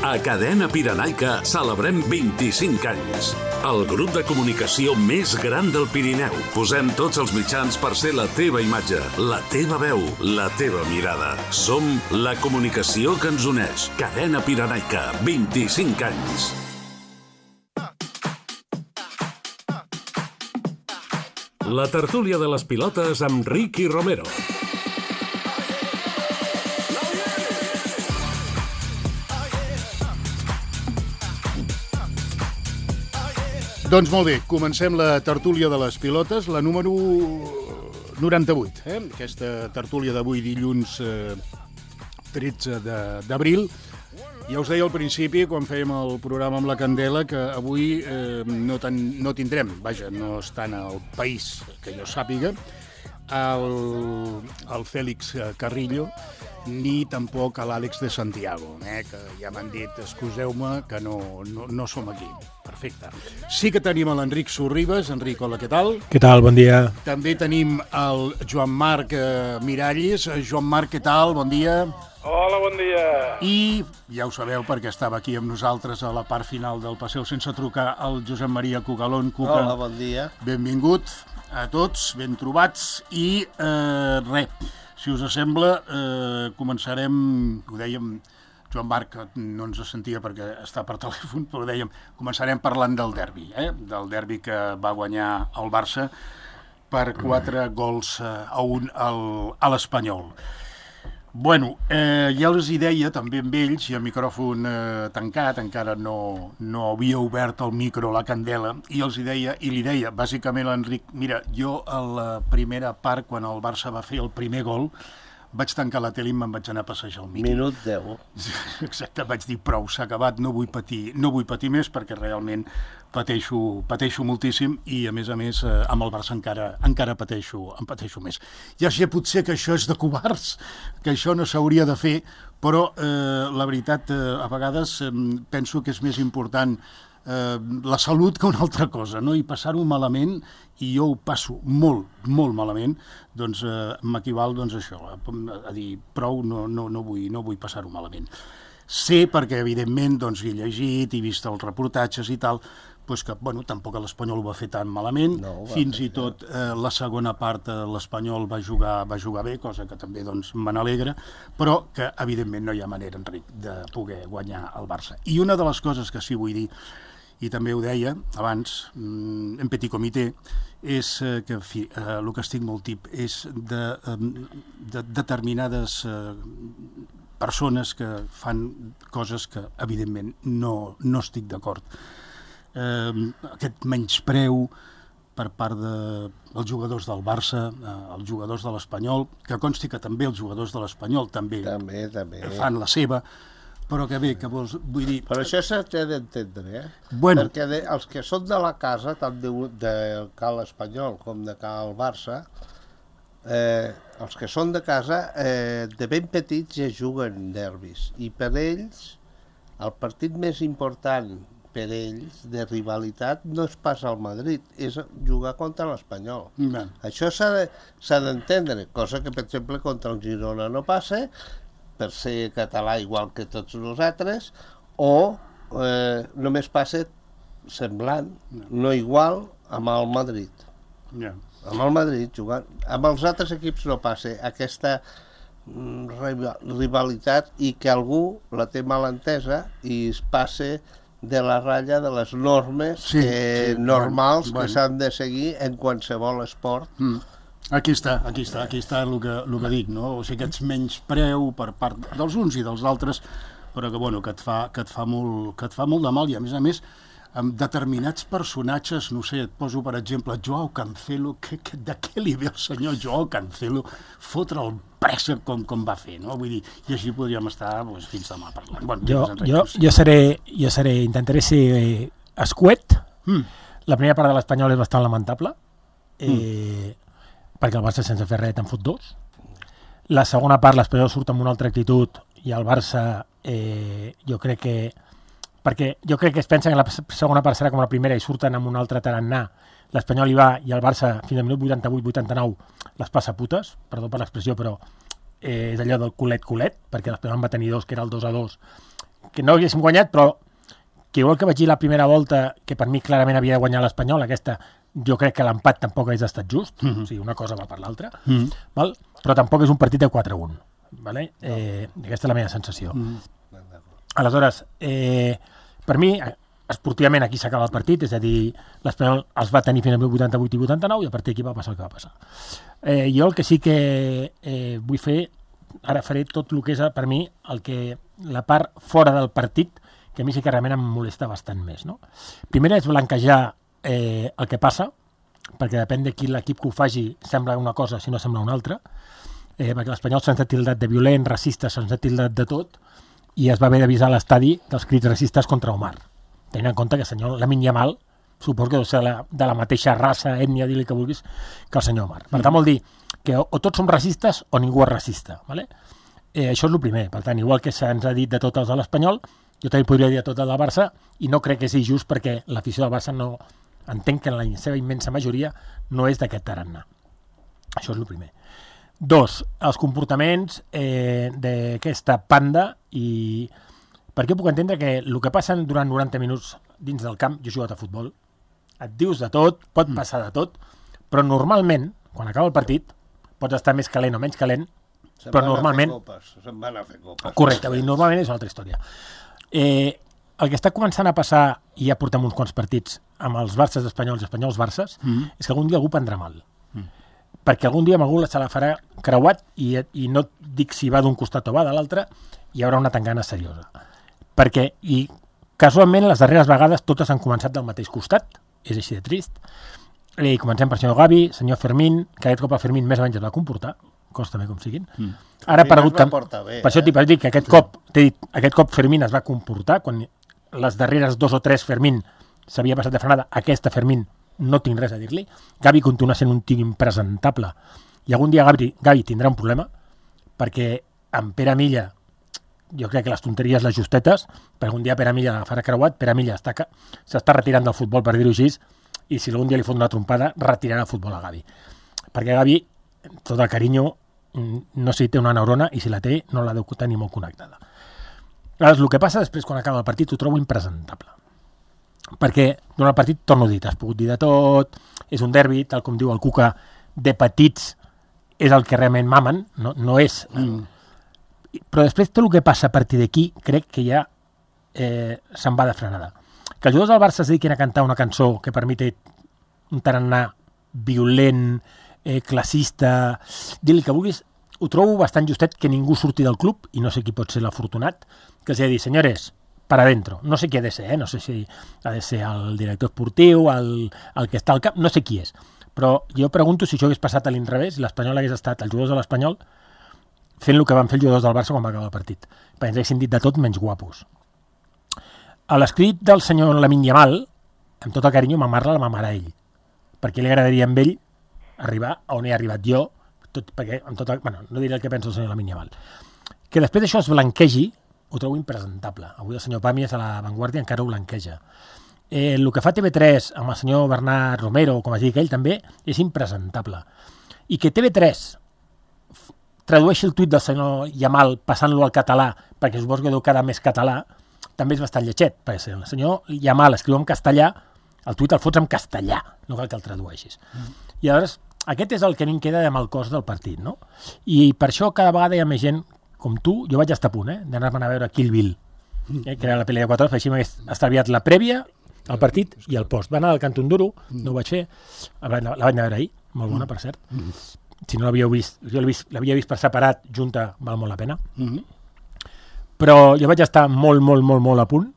A Cadena Pirenaica celebrem 25 anys. El grup de comunicació més gran del Pirineu. Posem tots els mitjans per ser la teva imatge, la teva veu, la teva mirada. Som la comunicació que ens uneix. Cadena Pirenaica, 25 anys. La tertúlia de les pilotes amb Ricky Romero. Doncs molt bé, comencem la tertúlia de les pilotes, la número 98. Aquesta tertúlia d'avui, dilluns 13 d'abril. Ja us deia al principi, quan fèiem el programa amb la Candela, que avui no tindrem, vaja, no estan al país, que jo sàpiga, el Fèlix Carrillo, ni tampoc a l'Àlex de Santiago, que ja m'han dit, excuseu-me, que no som aquí. Perfecte. Sí que tenim a l'Enric Sorribes. Enric, hola, què tal? Què tal? Bon dia. També tenim el Joan Marc Miralles. Joan Marc, què tal? Bon dia. Hola, bon dia. I ja ho sabeu perquè estava aquí amb nosaltres a la part final del Passeu sense trucar, el Josep Maria Cugalón. Cuca, hola, bon dia. Benvingut a tots, ben trobats. I si us sembla, començarem, ho dèiem, Joan Marc no ens sentia perquè està per telèfon, però dèiem, començarem parlant del derbi, del derbi que va guanyar el Barça per 4 gols a 1 a l'Espanyol. Bueno, ja els hi deia també amb ells, i el micròfon tancat, encara no havia obert el micro a la Candela, i els hi deia, i li deia, bàsicament l'Enric, mira, jo a la primera part, quan el Barça va fer el primer gol, vaig tancar la tele i me'n vaig anar a passejar al Miqui. Minut 10. Exacte, vaig dir, prou, s'ha acabat, no vull patir més perquè realment pateixo moltíssim i, a més, amb el Barça encara pateixo més. Ja sé potser que això és de covards, que això no s'hauria de fer, però la veritat, a vegades penso que és més important la salut que una altra cosa, no? I passar-ho malament, i jo ho passo molt, molt malament, doncs m'equival això, a dir prou, no vull passar-ho malament. Sé, perquè evidentment he llegit i vist els reportatges i tal, que tampoc l'Espanyol ho va fer tan malament, fins i tot la segona part l'Espanyol va jugar bé, cosa que també me n'alegra, però que evidentment no hi ha manera, Enric, de poder guanyar el Barça. I una de les coses que sí vull dir, i també ho deia abans, en petit comitè, és que, en fi, el que estic molt tip és de determinades persones que fan coses que, evidentment, no estic d'acord. Aquest menyspreu per part dels jugadors del Barça, els jugadors de l'Espanyol, que consti que també els jugadors de l'Espanyol també fan la seva, però que bé, que vull dir... Però això s'ha d'entendre, perquè els que són de la casa, tant de cal Espanyol com de cal Barça, els que són de casa, de ben petits ja juguen derbis, i per ells, el partit més important per ells, de rivalitat, no és pas al Madrid, és jugar contra l'Espanyol. Això s'ha d'entendre, cosa que, per exemple, contra el Girona no passa, per ser català igual que tots nosaltres, o només passa semblant, no igual, amb el Madrid. Amb el Madrid jugant. Amb els altres equips no passa aquesta rivalitat i que algú la té mal entesa i es passa de la ratlla de les normes normals que s'han de seguir en qualsevol esport. Aquí està el que dic, no? O sigui, aquests menyspreu per part dels uns i dels altres, però que et fa molt de mal, i a més, amb determinats personatges, no sé, et poso per exemple Joao Cancelo, de què li ve el senyor Joao Cancelo fotre el pressa com va fer, no? Vull dir, i així podríem estar fins demà parlant. Jo intentaré ser escuet. La primera part de l'Espanyol és bastant lamentable, perquè el Barça sense fer res te'n fot 2. La segona part l'Espanyol surt amb una altra actitud i el Barça jo crec que es pensa que la segona part serà com la primera i surten amb un altre tarannà. L'Espanyol hi va i el Barça fins al minut 88-89 les passa putes, perdó per l'expressió, però és allò del culet, perquè l'Espanyol en va tenir 2, que era el 2-2, que no haguéssim guanyat, però que igual que vaig dir la primera volta, que per mi clarament havia de guanyar l'Espanyol, aquesta jo crec que l'empat tampoc hagués estat just, o sigui, una cosa va per l'altra, val? Però tampoc és un partit de 4-1. Vale? Aquesta és la meva sensació. Aleshores, per mi, esportivament aquí s'acaba el partit, és a dir, l'Espanyol els va tenir fins al 88 i 89 i a partir d'aquí va passar el que va passar. Jo el que sí que vull fer, ara faré tot el que és per mi la part fora del partit, que a mi sí que realment em molesta bastant més. No? Primer és blanquejar el que passa, perquè depèn de qui l'equip que ho faci sembla una cosa, si no sembla una altra, perquè l'Espanyol se'ns ha tildat de violent, racista, se'ns ha tildat de tot, i es va haver d'avisar a l'estadi dels crits racistes contra Omar. Tenint en compte que el senyor Lamine Yamal suposo que deu ser de la mateixa raça, ètnia, dir-li que vulguis, que el senyor Omar. Per tant, vol dir que o tots som racistes o ningú és racista. Vale? Això és el primer. Per tant, igual que se'ns ha dit de tots els de l'Espanyol, jo també podria dir de tot el del Barça, i no crec que sigui just perquè l'afició del Barça no entenc que en la seva immensa majoria no és d'aquest tarannà. Això és el primer. 2, els comportaments d'aquesta panda, i perquè puc entendre que el que passa durant 90 minuts dins del camp, jo he jugat a futbol, et dius de tot, pot passar de tot, però normalment, quan acaba el partit, pots estar més calent o menys calent, però normalment... Se'n van a fer copes. Correcte, vull dir, normalment és una altra història. El que està començant a passar, i ja portem uns quants partits amb els Barces espanyols i espanyols Barces, és que algun dia algú prendrà mal. Perquè algun dia amb algú se la farà creuat, i no dic si va d'un costat o va de l'altre, hi haurà una tangana seriosa. Perquè, i casualment, les darreres vegades totes han començat del mateix costat, és així de trist, i comencem per senyor Gavi, senyor Fermín, que aquest cop el Fermín més o menys es va comportar, costa bé com siguin. Ara ha aparegut per això t'hi vaig dir que aquest cop Fermín es va comportar, quan les darreres 2 o 3 Fermín s'havia passat de frenada, aquesta Fermín no tinc res a dir-li. Gavi continua sent un tio impresentable, i algun dia Gavi tindrà un problema, perquè amb Pere Milla, jo crec que les tonteries les justetes, perquè algun dia Pere Milla la farà creuat, Pere Milla s'està retirant del futbol, per dir-ho així, i si algun dia li fot una trompada, retirarà el futbol a Gavi. Perquè Gavi, tot el carinyo, no sé si té una neurona, i si la té, no la deu tenir molt connectada. Llavors, el que passa després, quan acaba el partit, ho trobo impresentable. Perquè durant el partit, torno a dir, t'has pogut dir de tot, és un derbi, tal com diu el Cuca, de petits és el que realment mamen, no és... Però després tot el que passa a partir d'aquí crec que ja se'n va de frenada. Que els jugadors del Barça es dediquin a cantar una cançó que per mi té un tarannà violent, classista, dir-li que vulguis, ho trobo bastant justet que ningú surti del club, i no sé qui pot ser l'afortunat, que els ha de dir, senyores, para adentro. No sé qui ha de ser, no sé si ha de ser el director esportiu, el que està al cap, no sé qui és. Però jo pregunto si això hagués passat a l'inrevés, i l'Espanyol hagués estat, els jugadors de l'Espanyol, fent el que van fer els jugadors del Barça quan va acabar el partit. Perquè ens haguessin dit de tot menys guapos. A l'escrit del senyor Lamine Yamal, amb tot el carinyo, mamar-la la mamarà ell. Perquè li agradaria amb ell arribar a on he arribat jo, perquè amb tot no diré el que pensa el senyor Lamine Yamal. Que després d'això es blanquegi, ho trobo impresentable. Avui el senyor Pàmies a la Vanguardia encara ho blanqueja. El que fa TV3 amb el senyor Bernat Romero, com es digui ell també, és impresentable. I que TV3 tradueixi el tuit del senyor Yamal passant-lo al català, perquè suposo que deu quedar més català, també és bastant lletget, perquè si el senyor Yamal escriu en castellà, el tuit el fots en castellà, no cal que el tradueixis. I llavors, aquest és el que a mi em queda de mal cos del partit, no? I per això cada vegada hi ha més gent com tu, jo vaig estar a punt, d'anar-me'n a veure Kill Bill, que era la pel·li de 4 hores, així m'hagués estalviat la prèvia, el partit i el post. Va anar al Cantó Duro, no ho vaig fer, la vaig anar a veure ahir, molt bona, per cert. Si no l'havíeu vist, jo l'havia vist per separat, junta, val molt la pena. Però jo vaig estar molt a punt,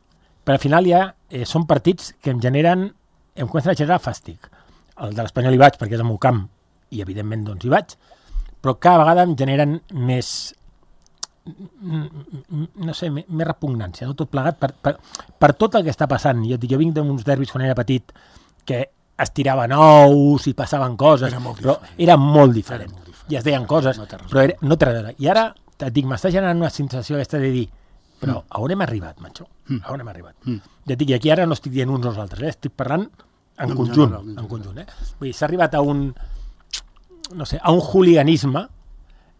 però al final ja són partits que em comencen a generar fàstic. El de l'Espanyol hi vaig perquè és el meu camp, i evidentment doncs hi vaig, però cada vegada em generen més, no sé, més repugnància, no? Tot plegat per tot el que està passant. Jo vinc d'uns derbis quan era petit que es tiraven ous i passaven coses, però era molt diferent. I es deien coses, però no té res a veure. I ara, et dic, m'està generant una sensació aquesta de dir, però a on hem arribat, macho? A on hem arribat? Ja et dic, i aquí ara no estic dient uns o els altres, estic parlant en conjunt. Vull dir, s'ha arribat a un hooliganisme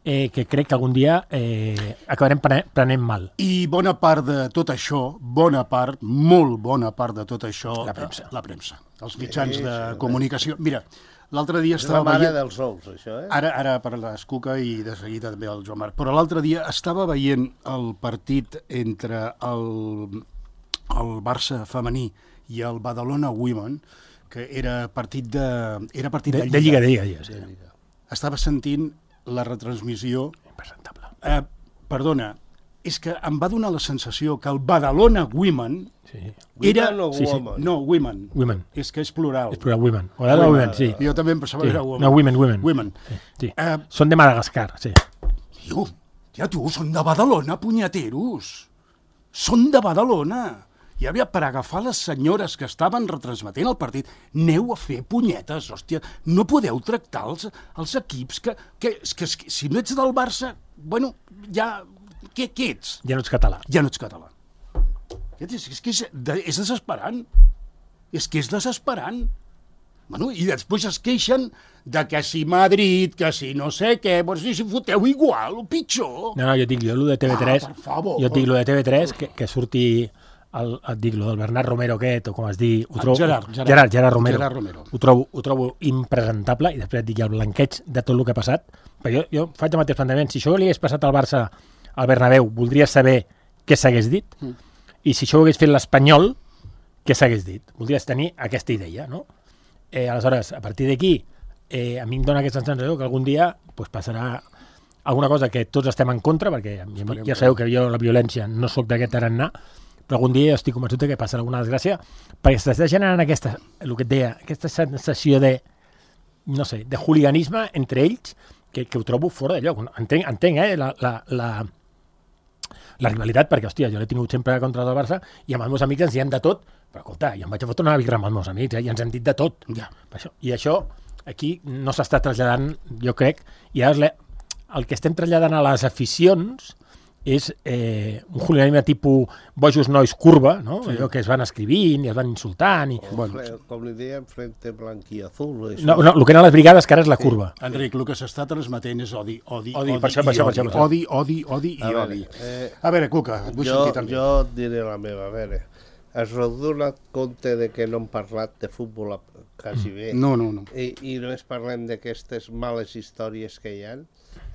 que crec que algun dia acabarem prenent mal. I bona part de tot això, molt bona part de tot això, la premsa, els mitjans de comunicació. Mira, l'altre dia estava veient... És la mare dels ous, això, eh? Ara parlaràs, Cuca, i de seguida també el Joan Marc. Però l'altre dia estava veient el partit entre el Barça femení i el Badalona Women, que era partit de Lliga. De Lliga, sí. Estava sentint la retransmissió... Impresentable. Perdona, és que em va donar la sensació que el Badalona Women era... Women o women? No, Women. Women. És que és plural. És plural, Women. O era Women, sí. Jo també em pensava que era Women. No, Women. Women. Sí. Són de Madagascar, sí. Tio, són de Badalona, punyeteros. Són de Badalona. I havia per agafar les senyores que estaven retransmetent el partit, aneu a fer punyetes, hòstia, no podeu tractar els equips que si no ets del Barça, bueno, ja, què ets? Ja no ets català. Ja no ets català. És que és desesperant. És que és desesperant. Bueno, i després es queixen de que si Madrid, que si no sé què, doncs si foteu igual, o pitjor. No, jo et dic, jo el de TV3, per favor. Jo et dic, el de TV3, que surti... et dic, el del Bernat Romero aquest, o com es diu... Gerard Romero. Ho trobo impresentable, i després et dic el blanqueig de tot el que ha passat, perquè jo faig el mateix plantejament. Si això li hagués passat al Barça al Bernabéu, voldria saber què s'hagués dit, i si això ho hagués fet l'Espanyol, què s'hagués dit. Voldries tenir aquesta idea, no? Aleshores, a partir d'aquí, a mi em dona aquesta sensació que algun dia passarà alguna cosa que tots estem en contra, perquè ja sabeu que jo la violència no sóc d'aquest tarannà, però algun dia estic convençut que passarà alguna desgràcia, perquè s'està generant el que et deia, aquesta sensació de, no sé, de hooliganisme entre ells, que ho trobo fora de lloc. Entenc la rivalitat, perquè, hòstia, jo l'he tingut sempre contra el Barça, i amb els meus amics ens diem de tot, però, escolta, jo em vaig a fotre una birra amb els meus amics, i ens hem dit de tot. Ja. I això, aquí, no s'està traslladant, jo crec, i ara el que estem traslladant a les aficions és un hooliganisme tipus bojos nois curva, no? Sí. Allò que es van escrivint i es van insultant. Com li dèiem, frente blanc i azul. No, el que eren les brigades, que ara és la curva. Enric, el que s'està transmetent és odi. Per això. Odi. A veure, Cuca, et vull sentir també. Jo et diré la meva, a veure. Has donat compte de que no hem parlat de futbol quasi bé. No. I només parlem d'aquestes males històries que hi ha.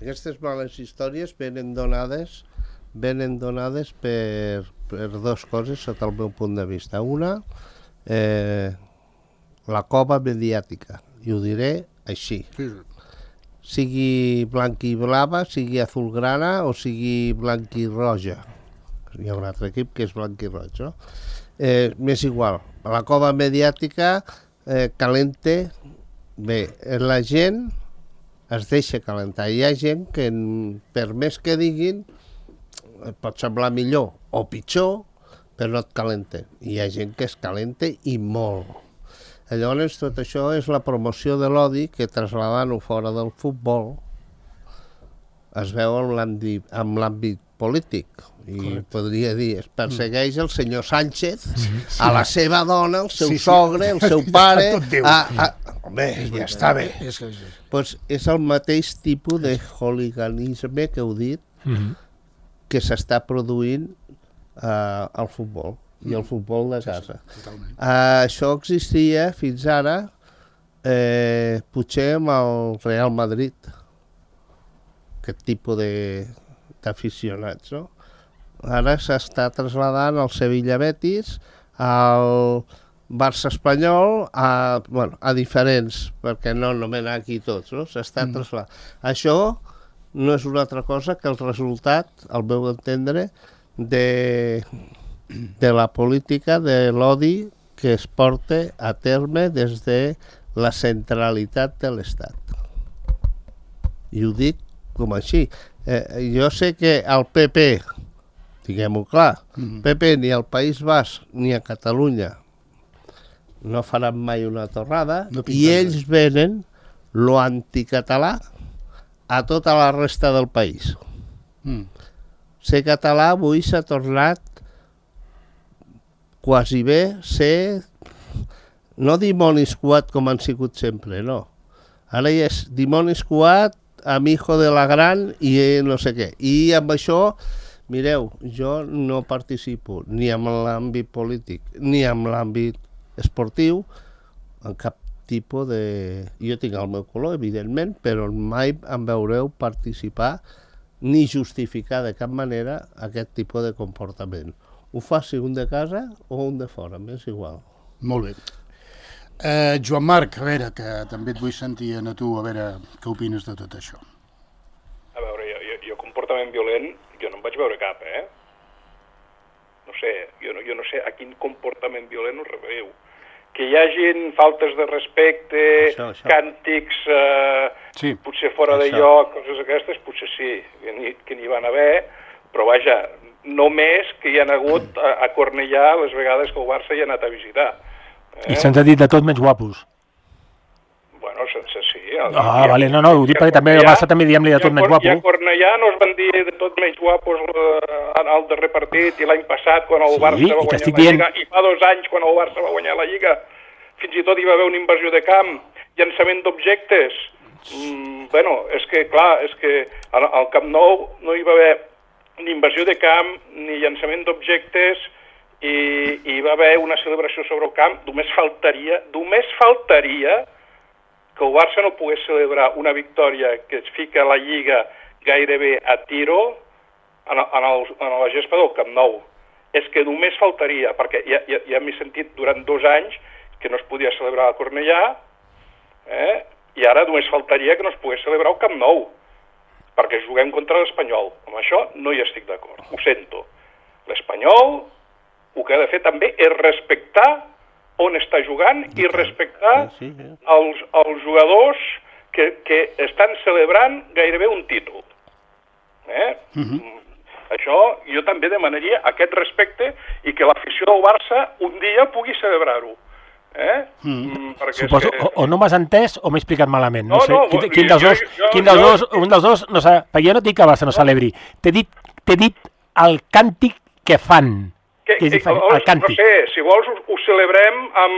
Aquestes males històries venen donades per dues coses sota el meu punt de vista. Una, la cova mediàtica, i ho diré així. Sigui blanc i blava, sigui azulgrana o sigui blanc i roja. Hi ha un altre equip que és blanc i roig, no? M'és igual. La cova mediàtica calente. Bé, la gent es deixa calentar. Hi ha gent que, per més que diguin, pot semblar millor o pitjor, però no et calenta. Hi ha gent que es calenta i molt. Llavors, tot això és la promoció de l'odi que, trasladant-ho fora del futbol, es veu en l'àmbit polític. I correcte. Podria dir, es persegueix el senyor Sánchez, a la seva dona, el seu sogre, el seu pare... Home, ja està bé. Pues és el mateix tipus de hooliganisme que heu dit, que s'està produint al futbol, i al futbol de casa. Això existia fins ara, potser amb el Real Madrid, aquest tipus d'aficionats, no? Ara s'està traslladant al Sevilla Betis, al Barça Espanyol, a diferents, perquè no anomenar aquí tots, no? S'està traslladant. Això no és una altra cosa que el resultat, al meu entendre, de la política de l'odi que es porta a terme des de la centralitat de l'Estat. I ho dic com així. Jo sé que el PP, diguem-ho clar, PP ni al País Basc ni a Catalunya no faran mai una torrada, i ells venen lo anticatalà a tota la resta del país. Ser català avui s'ha tornat quasi bé ser, no dimonis coat com han sigut sempre, no. Ara ja és dimonis coat amb hijo de la gran i no sé què. I amb això, mireu, jo no participo ni en l'àmbit polític ni en l'àmbit esportiu, en cap tipus de... Jo tinc el meu color, evidentment, però mai em veureu participar ni justificar de cap manera aquest tipus de comportament. Ho faci un de casa o un de fora, m'és igual. Molt bé. Joan Marc, a veure, que també et vull sentir a tu, a veure què opines de tot això. A veure, jo comportament violent, jo no en vaig veure cap, No sé, jo no sé a quin comportament violent us referiu. Que hi hagin faltes de respecte, això. Càntics, sí, potser fora de lloc, coses aquestes, potser sí, que n'hi van haver, però vaja, només que hi ha hagut a Cornellà les vegades que el Barça hi ha anat a visitar. I se'ns ha dit de tot menys guapos. Bueno, sense sí. Vale, no, ho dic perquè també el Barça també diem-li de tot menys guapo. I a Cornellà no es van dir de tot menys guapos al darrer partit i l'any passat quan el Barça va guanyar la Lliga i fa 2 anys quan el Barça va guanyar la Lliga. Fins i tot hi va haver una invasió de camp, llançament d'objectes. Bueno, és que clar, és que al Camp Nou no hi va haver ni invasió de camp ni llançament d'objectes i hi va haver una celebració sobre el camp. Només faltaria que el Barça no pogués celebrar una victòria que es fica a la Lliga gairebé a tiro a la gespa del Camp Nou. És que només faltaria, perquè ja m'he sentit durant 2 anys que no es podia celebrar a Cornellà, i ara només faltaria que no es pogués celebrar al Camp Nou, perquè juguem contra l'Espanyol. Amb això no hi estic d'acord, ho sento. L'Espanyol el que ha de fer també és respectar on està jugant i respectar els jugadors que estan celebrant gairebé un títol. Això jo també demanaria aquest respecte i que l'afició del Barça un dia pugui celebrar-ho. Suposo, o no m'has entès o m'he explicat malament. No sé, quin dels dos, un dels dos, no sé, perquè jo no dic que el Barça no celebri. T'he dit el càntic que fan. Que és diferent, el càntic. No sé, si vols ho celebrem amb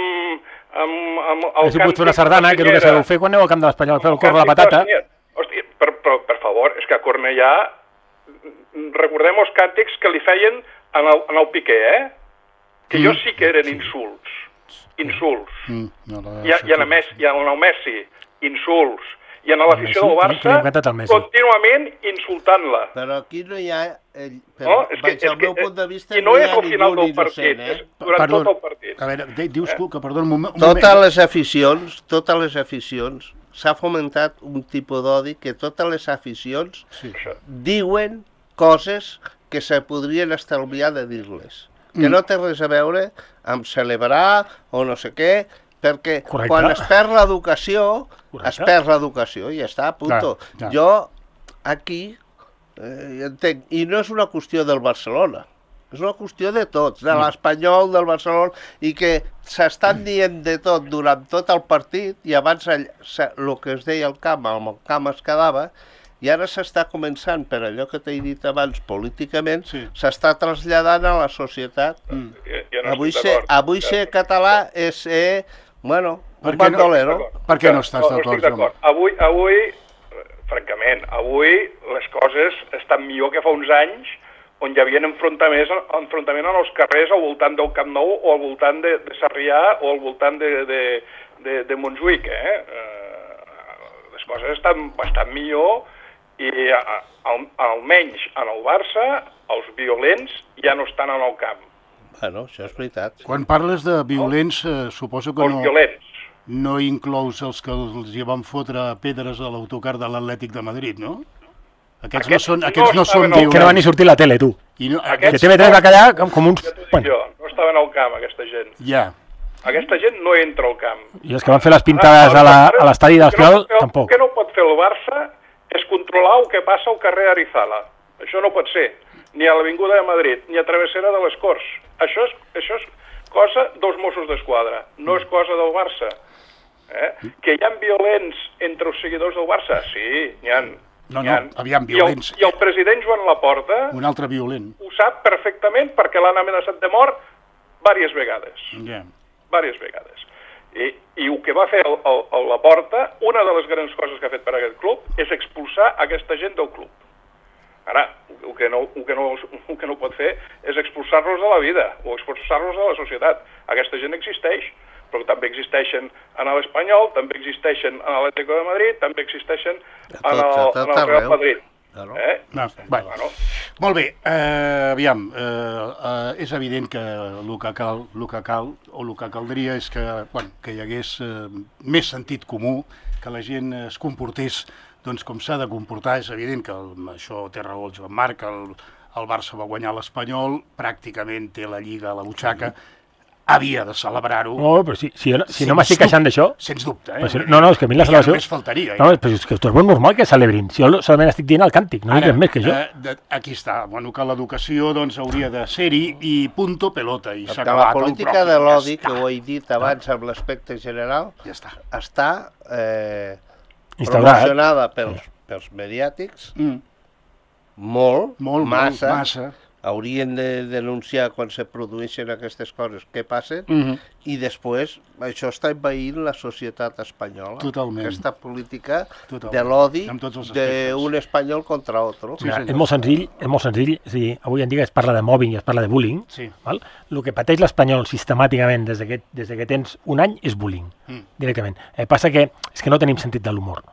el càntic. Pots fer una sardana, que és el que sabeu fer quan aneu al camp de l'Espanyol, fer el cor de la patata. Hòstia, per favor, és que a Cornellà recordem els càntics que li feien en el Piqué, que jo sí que eren insults. I en el Messi, insults. I en l'afició del Barça, contínuament insultant-la. Però aquí no hi ha... Vaig al meu punt de vista, no hi ha ningú innocent, durant tot el partit. A veure, dius que, perdó, un moment... Totes les aficions, s'ha fomentat un tipus d'odi que totes les aficions diuen coses que se podrien estalviar de dir-les. Que no té res a veure amb celebrar o no sé què, perquè quan es perd l'educació, i ja està, punto. Jo aquí entenc, i no és una qüestió del Barcelona, és una qüestió de tots, de l'Espanyol, del Barcelona, i que s'estan dient de tot durant tot el partit, i abans el que es deia al camp, amb el camp es quedava, i ara s'està començant, per allò que t'he dit abans, políticament, s'està traslladant a la societat. Avui ser català és ser, bueno, un bandolero. Per què no estàs d'acord? Avui, francament, les coses estan millor que fa uns anys, on hi havia enfrontament en els carrers al voltant del Camp Nou o al voltant de Sarrià o al voltant de Montjuïc. Les coses estan bastant millor i almenys en el Barça els violents ja no estan en el camp. Bueno, això és veritat. Quan parles de violents, suposo que no inclous els que els hi van fotre pedres a l'autocar de l'Atlètic de Madrid, no? Aquests no són violents. Que no van ni sortir a la tele, tu. Que TV3 va callar com uns... No estaven al camp, aquesta gent. Ja. Aquesta gent no entra al camp. I els que van fer les pintades a l'estadi de l'Espanyol, tampoc. El que no pot fer el Barça és controlar el que passa al carrer Arizala. Això no pot ser. Ni a l'Avinguda de Madrid, ni a Travessera de les Corts. Això és cosa dels Mossos d'Esquadra, no és cosa del Barça. Que hi ha violents entre els seguidors del Barça? Sí, n'hi ha. Aviam, violents. I el president Joan Laporta un altre violent. Ho sap perfectament perquè l'han amenaçat de mort diverses vegades. Diverses vegades. I el que va fer la Porta, una de les grans coses que ha fet per aquest club és expulsar aquesta gent del club. Ara, el que no pot fer és expulsar-los de la vida o expulsar-los de la societat. Aquesta gent existeix, però també existeixen en l'Espanyol, també existeixen en l'Atlético de Madrid, també existeixen en el Real Madrid. Bueno. Molt bé, aviam, és evident que el que caldria és que hi hagués més sentit comú, que la gent es comportés com s'ha de comportar. És evident que això té raó el Joan Marc, el Barça va guanyar l'Espanyol, pràcticament té la Lliga a la butxaca, havia de celebrar-ho. No, però si no m'estic queixant d'això... Sens dubte, No, és que a mi la celebració... Ja només faltaria. No, però és que és molt normal que celebrin. Si jo solament estic dient el càntic, no dic res més que això. Aquí està, que l'educació hauria de ser-hi i punto pelota. I s'ha acabat. La política de l'odi, que ho he dit abans amb l'aspecte general, està promocionada pels mediàtics, massa. Haurien de denunciar quan se produeixen aquestes coses que passen i després això està envaint la societat espanyola. Totalment. Aquesta política de l'odi d'un espanyol contra l'altre. És molt senzill. És a dir, avui en dia es parla de mobbing i es parla de bullying. Val? El que pateix l'espanyol sistemàticament des que tens un any és bullying, directament. Passa que és que no tenim sentit de l'humor.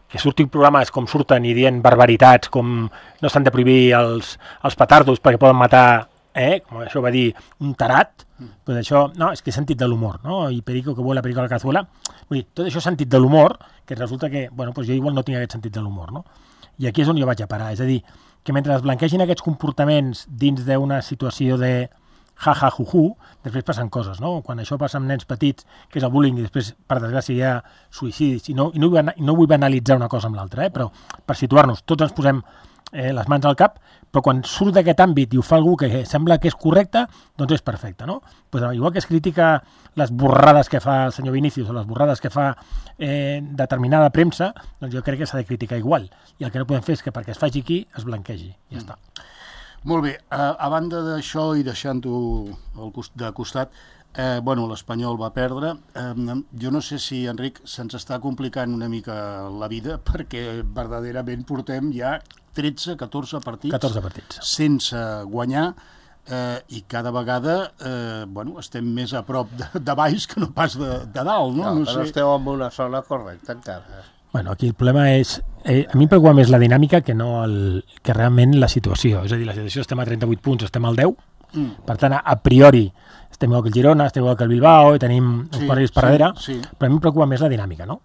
Que surtin programes com surten i dient barbaritats, com no s'han de prohibir els petardos perquè poden matar, com això va dir un tarat, doncs això, no, és que és sentit de l'humor, no? I perico que vuela, perico a la cazuela. Vull dir, tot això és sentit de l'humor, que resulta que, jo igual no tinc aquest sentit de l'humor, no? I aquí és on jo vaig a parar, és a dir, que mentre es blanquegin aquests comportaments dins d'una situació de ja-ja-ju-ju, després passen coses, no? Quan això passa amb nens petits, que és el bullying, i després, per desgràcia, hi ha suïcidis, i no vull banalitzar una cosa amb l'altra, però per situar-nos, tots ens posem les mans al cap, però quan surt d'aquest àmbit i ho fa algú que sembla que és correcte, doncs és perfecte, no? Pues, igual que es critica les borrades que fa el senyor Vinícius o les borrades que fa determinada premsa, doncs jo crec que s'ha de criticar igual. I el que no podem fer és que perquè es faci aquí es blanquegi. Ja està. Molt bé, a banda d'això i deixant-ho de costat, l'Espanyol va perdre. Jo no sé si, Enric, se'ns està complicant una mica la vida, perquè verdaderament portem ja 13-14 partits sense guanyar, i cada vegada estem més a prop de baix que no pas de dalt. No, però esteu en una zona correcta encara. Aquí el problema és... a mi em preocupa més la dinàmica que realment la situació. És a dir, la situació estem a 38 punts, estem al 10. Per tant, a priori, estem igual que el Girona, estem igual que el Bilbao, i tenim uns partits per darrere, però a mi em preocupa més la dinàmica, no?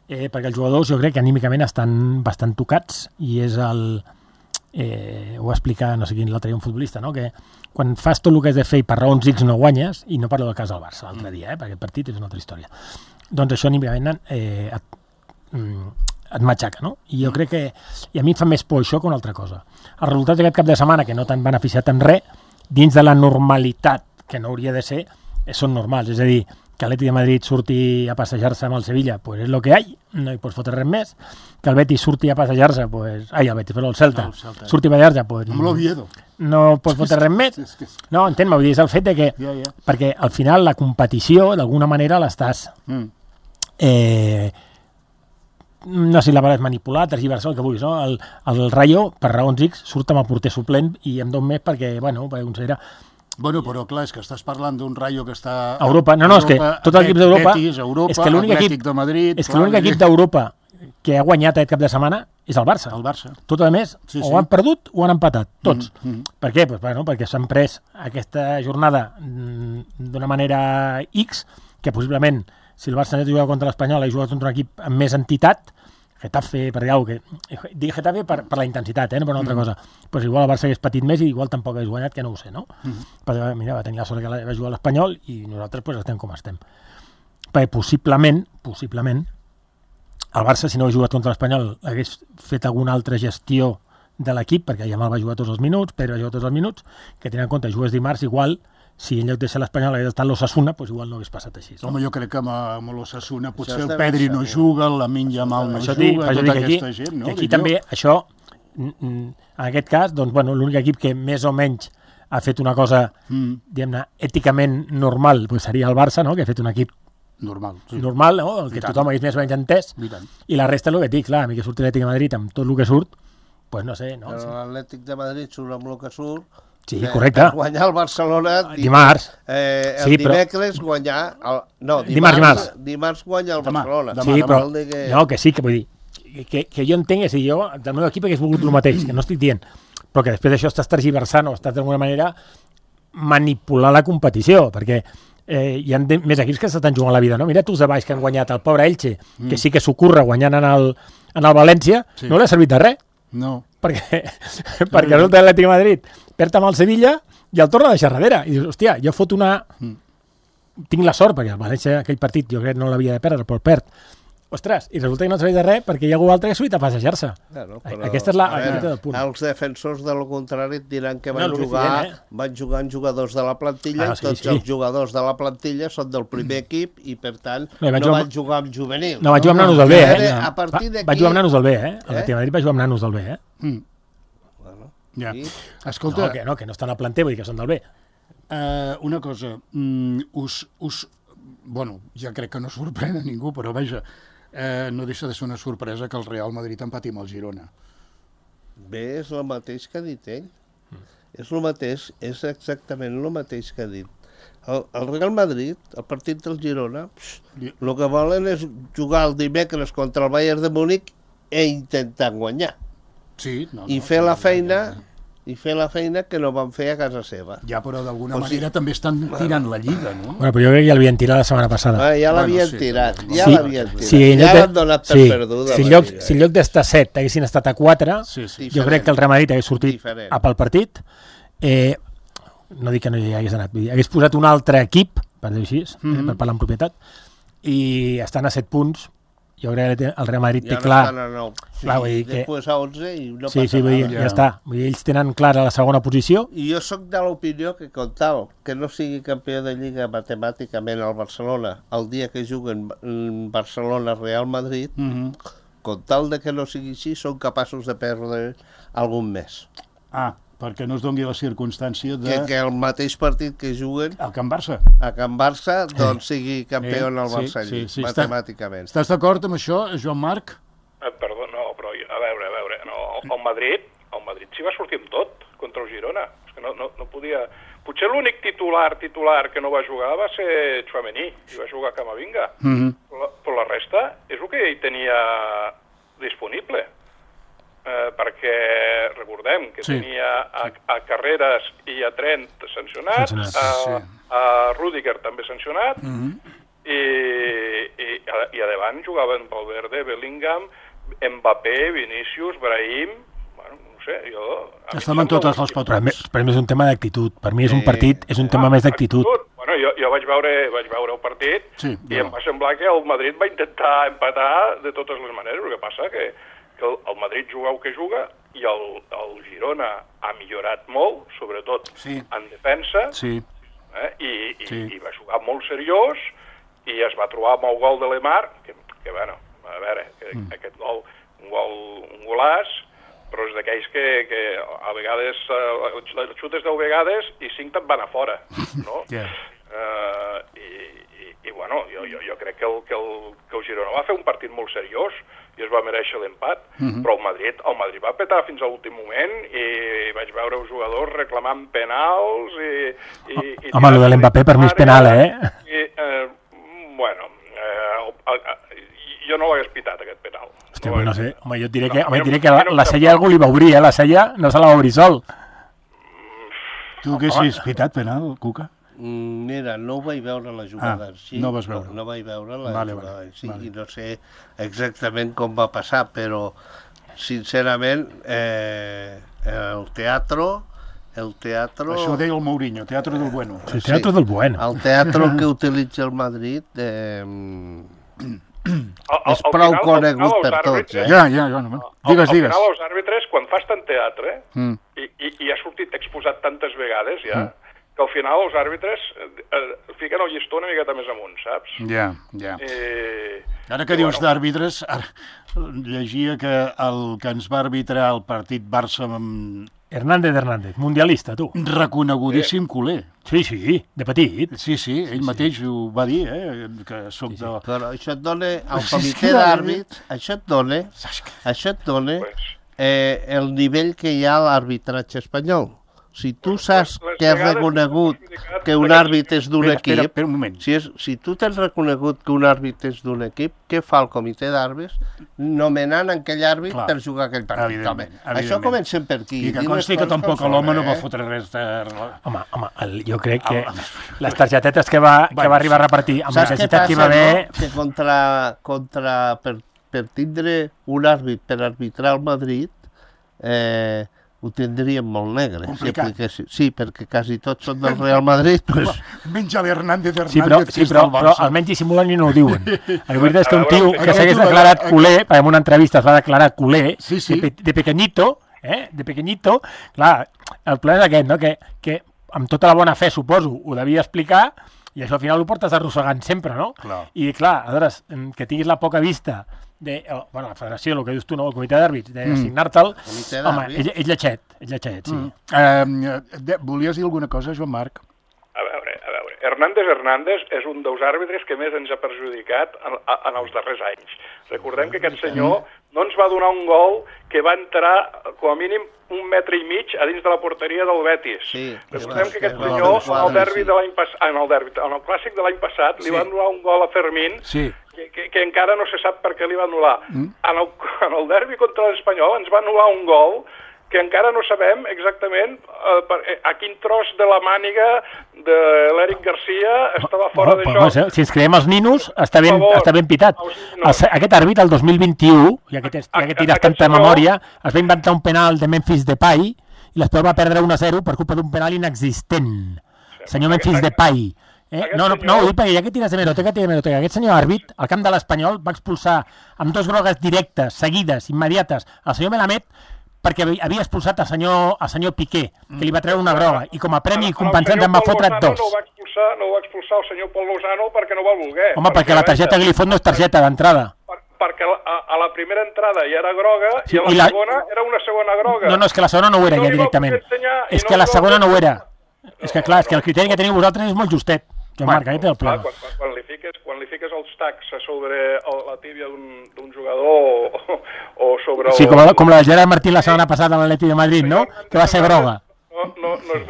Perquè els jugadors jo crec que anímicament estan bastant tocats i és el... ho va explicar, no sé quin, l'altre dia un futbolista, no? Que quan fas tot el que has de fer i per raons X no guanyes, i no parlo del cas del Barça l'altre dia, perquè el partit és una altra història, doncs això anímicament et matxaca, no? I jo crec que... I a mi em fa més por això que una altra cosa. Els resultats d'aquest cap de setmana, que no t'han beneficiat en res, dins de la normalitat, que no hauria de ser, són normals. És a dir, que l'Atlètic de Madrid surti a passejar-se amb el Sevilla, pues és lo que hay, no hi pots fotre res més. Que el Betis surti a passejar-se, pues... Ai, el Betis, però el Celta. Surti a passejar-se, pues... Amb l'Oviedo. No pots fotre res més. No, entén-me, vull dir, és el fet de que... Perquè al final la competició, d'alguna manera, l'estàs... no sé si la paraula és manipular, tergiversar, el que vulguis, no? El Rayo, per raons X, surt amb el porter suplent i em dona més perquè considera... Però clar, és que estàs parlant d'un Rayo que està... A Europa, és que tots els equips d'Europa... Betis, Europa, Atlètic de Madrid... És que l'únic equip d'Europa que ha guanyat aquest cap de setmana és el Barça. El Barça. Tot a més, o han perdut o han empatat, tots. Per què? Perquè s'han pres aquesta jornada d'una manera X, que possiblement, si el Barça ha jugat contra l'Espanyol, ha jugat contra un equip amb més entitat, Getafe, per dir alguna cosa, dic Getafe per la intensitat, no per una altra cosa. Pues igual el Barça hagués patit més i igual tampoc hagués guanyat, que no ho sé, no? Però mira, va tenir la sort que va jugar a l'Espanyol i nosaltres pues, estem com estem. Perquè possiblement, el Barça, si no hagués jugat contra l'Espanyol, hagués fet alguna altra gestió de l'equip, perquè Yamal va jugar tots els minuts, Pedro va jugar tots els minuts, que tenint en compte, jugues dimarts, igual, si en lloc de ser l'Espanyol hagués estat l'Osasuna, doncs igual no hagués passat així. Home, jo crec que amb l'Osasuna potser el Pedri no juga, el Lamine Yamal no juga, tota aquesta gent, no? Aquí també, això, en aquest cas, doncs, l'únic equip que més o menys ha fet una cosa, diguem-ne, èticament normal, seria el Barça, no? Que ha fet un equip Normal. Sí. Normal, no? El que tothom hagués més o menys entès. I la resta, el que et dic, clar, a mi que surt l'Atlètic de Madrid amb tot el que surt, doncs no sé, no? Però l'Atlètic de Madrid surt amb el que surt. Sí, correcte. Guanyar el Barcelona... Dimarts. El dimecres guanyar... No, dimarts guanyar el Barcelona. Sí, però... No, que sí, que vull dir... Que jo entenc, és a dir, jo del meu equip hagués volgut el mateix, que no estic dient, però que després d'això estàs tergiversant o estàs d'alguna manera manipular la competició, perquè hi ha més equips que s'estan jugant la vida, no? Mira tu els de baix que han guanyat el pobre Elche, que sí que s'ocorre guanyant en el València, no li ha servit de res. No. Perquè resulta l'Atlètic de Madrid perd amb el Sevilla i el torna a deixar darrere. I dius, hòstia, jo fot una... Tinc la sort, perquè el València aquell partit jo crec que no l'havia de perdre, però el perd. Ostres, i resulta que no serveix de res perquè hi ha algú altre que ha sortit a passejar-se. Claro, aquesta és la... Els defensors de lo contrari et diran que van jugar amb jugadors de la plantilla, tots els jugadors de la plantilla són del primer equip i per tant no van jugar amb juvenil. No, van jugar amb nanos del B, A partir d'aquí... Van jugar amb nanos del B, El Madrid va jugar amb nanos del B, Ja. Escolta... No, que no estan al planter, vull dir que són del B. Una cosa, bueno, ja crec que no sorprèn a ningú, però vaja, no deixa de ser una sorpresa que el Real Madrid empati amb el Girona. Bé, és el mateix que ha dit ell. És el mateix, és exactament el mateix que ha dit. El Real Madrid, el partit del Girona, el que volen és jugar el dimecres contra el Bayern de Múnich i intentar guanyar. Sí, i fer la feina que no van fer a casa seva. Ja, però d'alguna manera també estan tirant la Lliga, no? Bueno, però jo crec que ja l'havien tirat la setmana passada. Ja l'havien tirat, ja l'han donat per perduda. Si en lloc d'estar a 7 haguessin estat a 4, jo crec que el Real Madrid hagués sortit a pel partit. No dic que no hi hagués anat, hagués posat un altre equip, per dir-ho així, per parlar en propietat, i estan a 7 punts. Jo crec que el Real Madrid té clar... Després a 11 i no passa nada. Ja està. Ells tenen clara la segona posició. I jo sóc de l'opinió que, com tal, que no sigui campió de Lliga matemàticament al Barcelona el dia que juguen Barcelona-Real Madrid, com tal de que no sigui així, són capaços de perdre algun mes. Perquè no es doni la circumstància de... Que el mateix partit que juguen... A Can Barça. A Can Barça, doncs sigui campió al Barça, matemàticament. Estàs d'acord amb això, Joan Marc? Perdó, no, però a veure, no, el Madrid s'hi va sortir amb tot contra el Girona. És que no podia... Potser l'únic titular que no va jugar va ser Tchouaméni, i va jugar Camavinga. Però la resta és el que ell tenia disponible. Perquè recordem que tenia a Carreras i a Trent sancionats, a Rüdiger també sancionat, i a davant jugaven Valverde, Bellingham, Mbappé, Vinícius, Brahim... Bueno, no sé, jo... Estaven totes les patrons. Per mi és un tema d'actitud. Per mi és un partit, és un tema més d'actitud. Bueno, jo vaig veure el partit i em va semblar que el Madrid va intentar empatar de totes les maneres. El que passa que el Madrid juga el que juga i el Girona ha millorat molt, sobretot en defensa, i va jugar molt seriós i es va trobar amb el gol de Lemar, que bueno, a veure, aquest gol, un golàs, però és d'aquells que a vegades els xutes 10 vegades i 5 te'n van a fora, no? I bueno, jo crec que el Girona va fer un partit molt seriós i es va mereixer l'empat, però el Madrid va petar fins a l'últim moment i vaig veure els jugadors reclamant penals i home, el de l'Mbappé per mi és penal, Bueno, jo no l'hagués pitat, aquest penal. Hòstia, no sé, home, jo diré que la Sella algú li va obrir, la Sella no se la va obrir sol. Tu haguessis pitat penal, Cuca? Mira, no ho vaig veure la jugada. No vas veure. No vaig veure la jugada. I no sé exactament com va passar, però sincerament el teatro... Això ho deia el Mourinho, teatro del bueno. Sí, teatro del bueno. El teatro que utilitza el Madrid és prou conegut per tots. Ja. Digues. Al final, els àrbitres, quan fas tant teatre i ha sortit exposat tantes vegades ja, que al final els àrbitres fiquen el llistó una miqueta més amunt, saps? Ja. Ara que dius d'àrbitres, llegia que el que ens va arbitrar el partit Barça amb... Hernández, mundialista, tu. Reconegudíssim culer. Sí, de petit. Sí, ell mateix ho va dir, que soc de... Però això et dona, al comitè d'àrbits, això et dona el nivell que hi ha a l'arbitratge espanyol. Si tu saps que has reconegut que un àrbit és d'un equip, espera un moment. Si tu t'has reconegut que un àrbit és d'un equip, què fa el comitè d'àrbits? Nomenant aquell àrbit per jugar aquell partit. Això comencem per aquí. I que consti que tampoc l'home no va fotre res de... Home, jo crec que les targetetes que va arribar a repartir amb la necessitat que hi va haver... Que per tindre un àrbit per arbitrar el Madrid... ho tindríem molt negre. Sí, perquè quasi tots són del Real Madrid. Menja l'Hernández. Sí, però almenys dissimulen i no ho diuen. La veritat és que un tio que s'hagués declarat culer, perquè en una entrevista es va declarar culer, de pequeñito, clar, el problema és aquest, no? Que amb tota la bona fe, suposo, ho devia explicar, i això al final ho portes arrossegant sempre, no? I clar, aleshores, que tinguis la poca vista la federació, el que dius tu, no? El comitè d'àrbits, d'assignar-te'l, home, és lletxet, sí. Volies dir alguna cosa, Joan Marc? A veure, Hernández és un dels àrbitres que més ens ha perjudicat en els darrers anys. Recordem que aquest senyor no ens va donar un gol que va entrar, com a mínim, 1,5 metres a dins de la porteria del Betis. Recordem que aquest senyor, en el clàssic de l'any passat, li van donar un gol a Fermín, que encara no se sap per què li va anul·lar. En el derbi contra l'Espanyol ens va anul·lar un gol que encara no sabem exactament a quin tros de la màniga de l'Eric Garcia estava fora de joc. Si ens creiem els ninos, està ben pitat. Aquest àrbit, el 2021, ja que tires tanta memòria, es va inventar un penal de Memphis Depay i l'Espanyol va perdre 1-0 per culpa d'un penal inexistent. Senyor Memphis Depay. No, ho dic perquè ja que tires de meroteca, aquest senyor àrbit, al camp de l'Espanyol, va expulsar amb 2 grogues directes, seguides, immediates, el senyor Melamed, perquè havia expulsat el senyor Piqué, que li va treure una groga, i com a premi compensant en va fotre 2. No ho va expulsar el senyor Pol Lozano perquè no va voler. Home, perquè la targeta Glifón no és targeta d'entrada. Perquè a la primera entrada ja era groga i a la segona era una segona groga. No, és que la segona no ho era ja directament. És que la segona no ho era. És que clar, és que el criteri que teniu vosaltres és molt justet. Joan Marc, aquest és el problema. Quan li fiques els tacs sobre la tíbia d'un jugador o sobre... Sí, com la de Gerard Martín la setmana passada a l'Atleti de Madrid, no? Que va ser groga. No és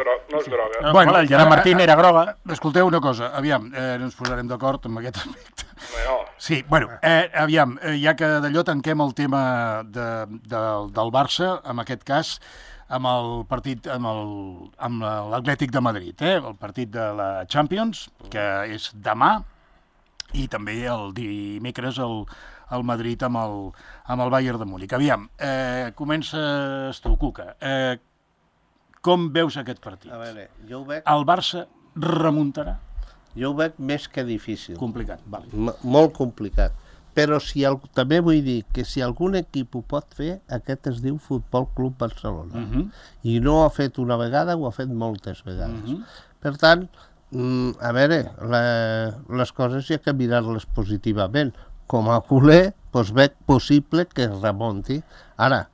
groga. Bueno, el Gerard Martín era groga. Escolteu una cosa, aviam, no ens posarem d'acord amb aquest aspecte. Sí, bueno, aviam, ja que d'allò tanquem el tema del Barça, en aquest cas, amb el partit, amb l'Atlètic de Madrid, el partit de la Champions, que és demà, i també el dimecres el Madrid amb el Bayern de Múnich. Aviam, comences tu, Cuca. Com veus aquest partit? A veure, jo ho veig... El Barça remuntarà? Jo ho veig més que difícil. Complicat, vale. Molt complicat. Però també vull dir que si algun equip ho pot fer, aquest es diu Futbol Club Barcelona. I no ho ha fet una vegada, ho ha fet moltes vegades. Per tant, a veure, les coses hi ha que mirar-les positivament. Com a culer, doncs veig possible que es remunti. Ara,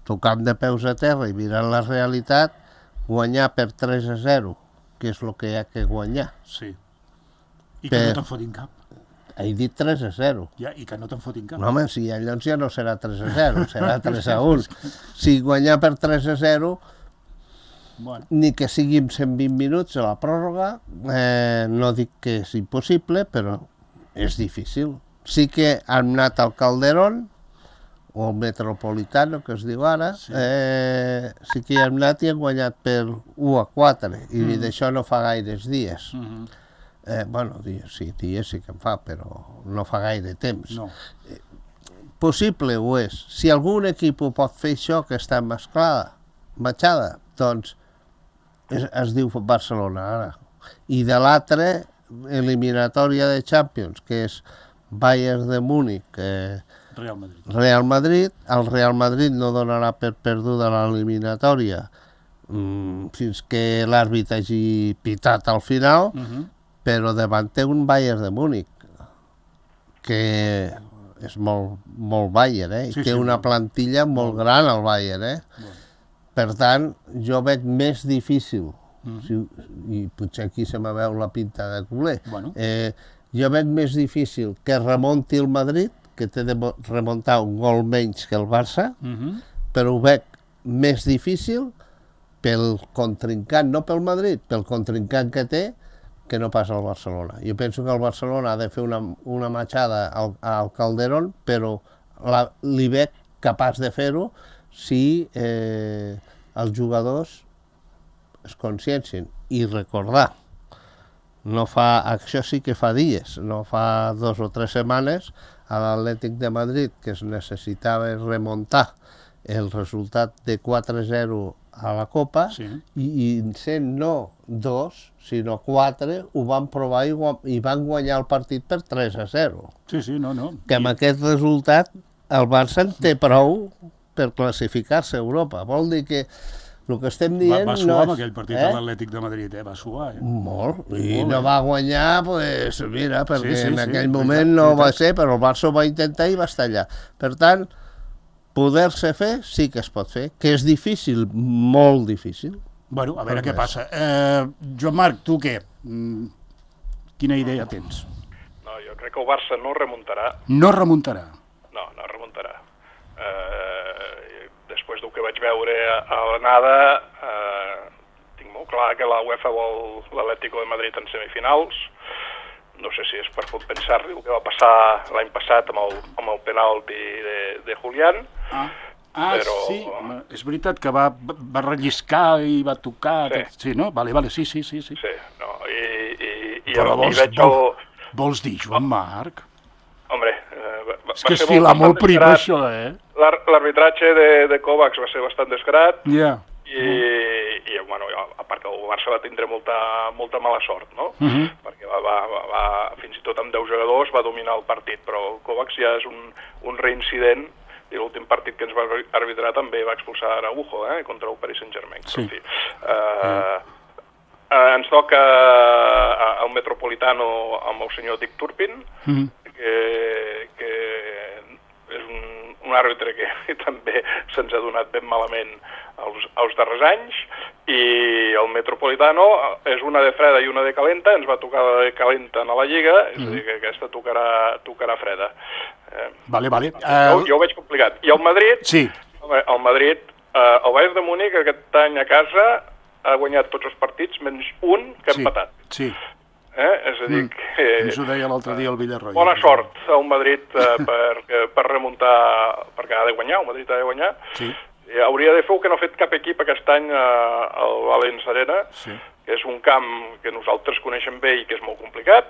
tocant de peus a terra i mirant la realitat, guanyar per 3-0, que és el que hi ha que guanyar. Sí. I que no te'n fotin cap. He dit 3-0. Ja, i que no te'n fotin cap. No, home, si llavors ja no serà 3-0, serà 3-1. Si guanyar per 3-0, ni que sigui en 120 minuts a la pròrroga, no dic que és impossible, però és difícil. Sí que han anat al Calderón, o el Metropolitano, que es diu ara, sí que hi han anat i han guanyat per 1-4, i d'això no fa gaires dies. Bueno, dies sí que en fa, però no fa gaire temps. Possible ho és. Si algun equip ho pot fer això, que està matxada, doncs es diu Barcelona ara. I de l'altre, eliminatòria de Champions, que és Bayern de Múnich, Real Madrid. El Real Madrid no donarà per perduda l'eliminatòria fins que l'àrbit hagi pitat al final, però davant té un Bayern de Múnich, que és molt Bayern, i té una plantilla molt gran, el Bayern, Per tant, jo veig més difícil i potser aquí se me veu la pinta de culer. Jo veig més difícil que remonti el Madrid, que té de remuntar un gol menys que el Barça, però ho veig més difícil pel contrincant, no pel Madrid, pel contrincant que té, que no passa al Barcelona. Jo penso que el Barcelona ha de fer una matxada al Calderón, però li veig capaç de fer-ho si els jugadors es consciencien. I recordar, això sí que fa dies, no fa 2 o 3 setmanes, a l'Atlètic de Madrid, que es necessitava remuntar el resultat de 4-0 a la Copa, i sent no 2, sinó 4, ho van provar i van guanyar el partit per 3-0. Que amb aquest resultat el Barça en té prou per classificar-se a Europa. Vol dir que el que estem dient... Va suar amb aquell partit a l'Atlètic de Madrid, va suar. Molt, i no va guanyar, doncs, mira, perquè en aquell moment no va ser, però el Barça ho va intentar i va estar allà. Per tant, poder-se fer sí que es pot fer, que és difícil, molt difícil. Bueno, a veure què passa. Joan Marc, tu què? Quina idea tens? No, jo crec que el Barça no remuntarà. No remuntarà? No, no remuntarà. Després del que vaig veure a l'anada, tinc molt clar que la UEFA vol l'Atlético de Madrid en semifinals. No sé si és per compensar-li el que va passar l'any passat amb el penalti de Julián. Però... sí, és veritat que va relliscar i va tocar... Sí, no? Vale, sí. Sí, no, però vols dir, Joan Marc? Hombre, és que és filar molt prim, això, L'arbitratge de Kovacs va ser bastant desgrat. Ja. I bueno, a part que el Barça va tindre molta mala sort, no? Perquè fins i tot amb 10 jugadors va dominar el partit, però el Kovacs ja és un reincident, i l'últim partit que ens va arbitrar també va expulsar Araujo, contra el Paris Saint-Germain. Sí. En fi, ens toca el Metropolitano amb el senyor Dick Turpin, que és un àrbitre que també se'ns ha donat ben malament els darrers anys, i el Metropolitano és una de freda i una de calenta, ens va tocar la de calenta a la Lliga, és a dir, que aquesta tocarà freda. Vale. Jo ho veig complicat. I el Madrid, el Bayern de Múnich aquest any a casa ha guanyat tots els partits, menys un que ha empatat. Sí. És a dir que... Ens ho deia l'altre dia el Villarroya. Bona sort al Madrid per remuntar, perquè ha de guanyar, el Madrid ha de guanyar. Sí. Hauria de fer el que no ha fet cap equip aquest any al Valens Arena, que és un camp que nosaltres coneixem bé i que és molt complicat,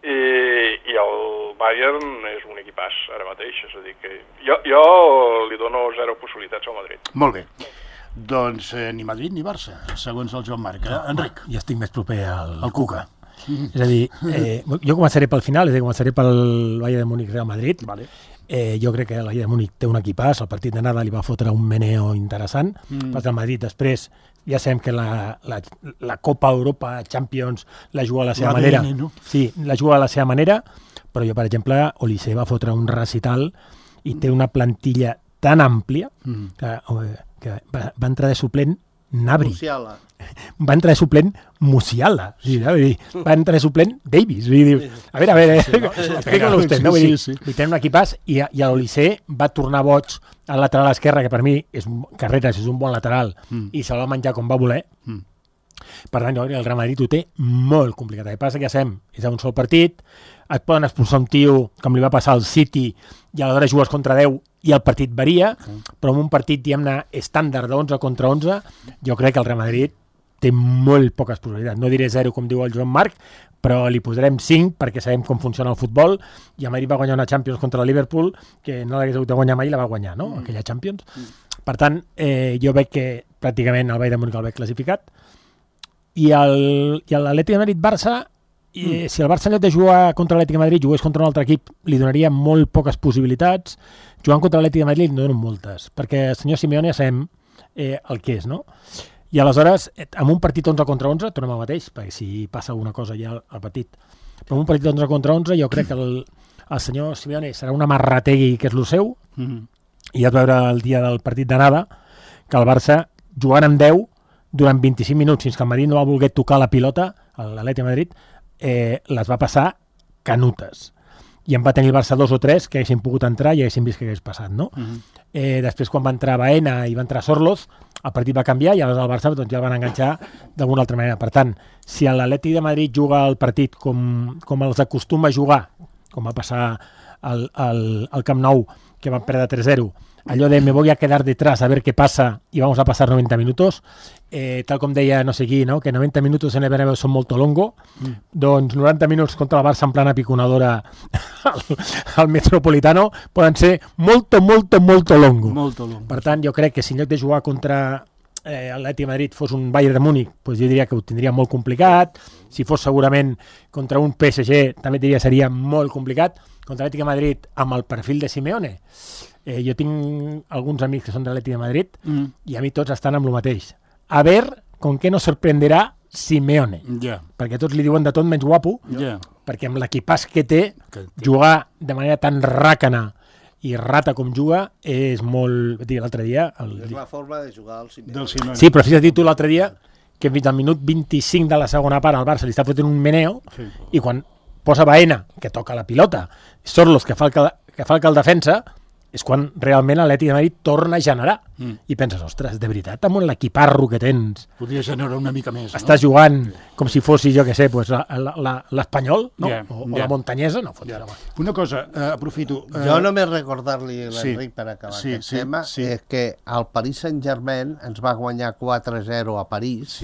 i el Bayern és un equipàs ara mateix, és a dir que jo li dono 0 possibilitats al Madrid. Molt bé. Doncs ni Madrid ni Barça, segons el Joan Marc. Enric? Jo estic més proper al Cuca. És a dir, jo començaré pel final, és a dir, començaré pel Bayern de Múnich Real Madrid. Vale. Jo crec que el Bayern de Múnich té un equipàs, el partit d'anada li va fotre un meneo interessant, perquè el Madrid després ja sabem que la Copa Europa, Champions, la juga a la seva manera. Sí, la juga a la seva manera, però jo, per exemple, Olise va fotre un recital i té una plantilla tan àmplia que va entrar de suplent Nabri. Musiala. Va entrar de suplent Musiala. Va entrar de suplent Davis. A veure, explica-lo vostè. Té un equipàs i l'Olise va tornar boig al lateral esquerre, que per mi Carreras és un bon lateral i se'l va menjar com va voler. Per tant, el Real Madrid ho té molt complicat. El que passa que ja sabem, és a un sol partit, et poden expulsar un tio com li va passar al City i aleshores jugues contra 10 i el partit varia, però en un partit, diguem-ne, estàndard de 11 contra 11, jo crec que el Real Madrid té molt poques possibilitats. No diré 0, com diu el Joan Marc, però li posarem 5 perquè sabem com funciona el futbol, i el Madrid va guanyar una Champions contra el Liverpool, que no l'hagués hagut de guanyar mai, la va guanyar, no?, aquella Champions. Per tant, jo veig que pràcticament el Bayern de Múnich el veig classificat, i l'Atlètic de Madrid-Barça, si el Barça en lloc de jugar contra l'Atlètic de Madrid jugués contra un altre equip, li donaria molt poques possibilitats. Jugant contra l'Atlètic de Madrid li donen moltes, perquè el senyor Simeone ja sabem el que és, no? I aleshores, amb un partit 11 contra 11, tornem al mateix, perquè si passa alguna cosa ja al partit, però amb un partit 11 contra 11 jo crec que el senyor Simeone serà un amarrategui que és el seu, i ja et veure el dia del partit d'anada que el Barça, jugant amb 10, durant 25 minuts, fins que el Madrid no va voler tocar la pilota, l'Atlètic de Madrid, les va passar canutes. I en va tenir el Barça 2 o 3 que haguessin pogut entrar i haguessin vist què hagués passat, no? Després, quan va entrar Baena i va entrar Sorloz, el partit va canviar i aleshores el Barça doncs, ja el van enganxar d'alguna altra manera. Per tant, si l'Atlètic de Madrid juga el partit com els acostuma a jugar, com va passar al Camp Nou, que van perdre 3-0, allò de me voy a quedar detrás a ver qué pasa y vamos a pasar 90 minutos, tal com deia no sé qui, no? Que 90 minutos en el Bernabéu són molt longo, doncs 90 minuts contra el Barça en plana piconadora al Metropolitano poden ser molt longo. Per tant, jo crec que si en lloc de jugar contra l'Atlètic de Madrid fos un Bayern de Múnich, doncs jo diria que ho tindria molt complicat. Si fos segurament contra un PSG, també diria que seria molt complicat. Contra l'Atlètic de Madrid, amb el perfil de Simeone, jo tinc alguns amics que són de l'Atlètic de Madrid i a mi tots estan amb el mateix. A ver con qué nos sorprenderà Simeone. Perquè tots li diuen de tot menys guapo, perquè amb l'equipàs que té, jugar de manera tan ràcana i rata com juga és molt... L'altre dia... És la forma de jugar al Simeone. Sí, però fixa't tu l'altre dia que fins al minut 25 de la segona part al Barça li està fotent un meneo i quan posa Baena, que toca la pilota, Sorloz, que fa el que el defensa, és quan realment l'Atlètic de Madrid torna a generar. I penses, ostres, de veritat, amb l'equiparro que tens... Podria generar una mica més, no? Estàs jugant com si fossi, jo què sé, l'Espanyol, no? O la Montanyesa, no? Una cosa, aprofito... Jo només recordar-li a l'Enric per acabar aquest tema, és que el Paris Saint-Germain ens va guanyar 4-0 a París,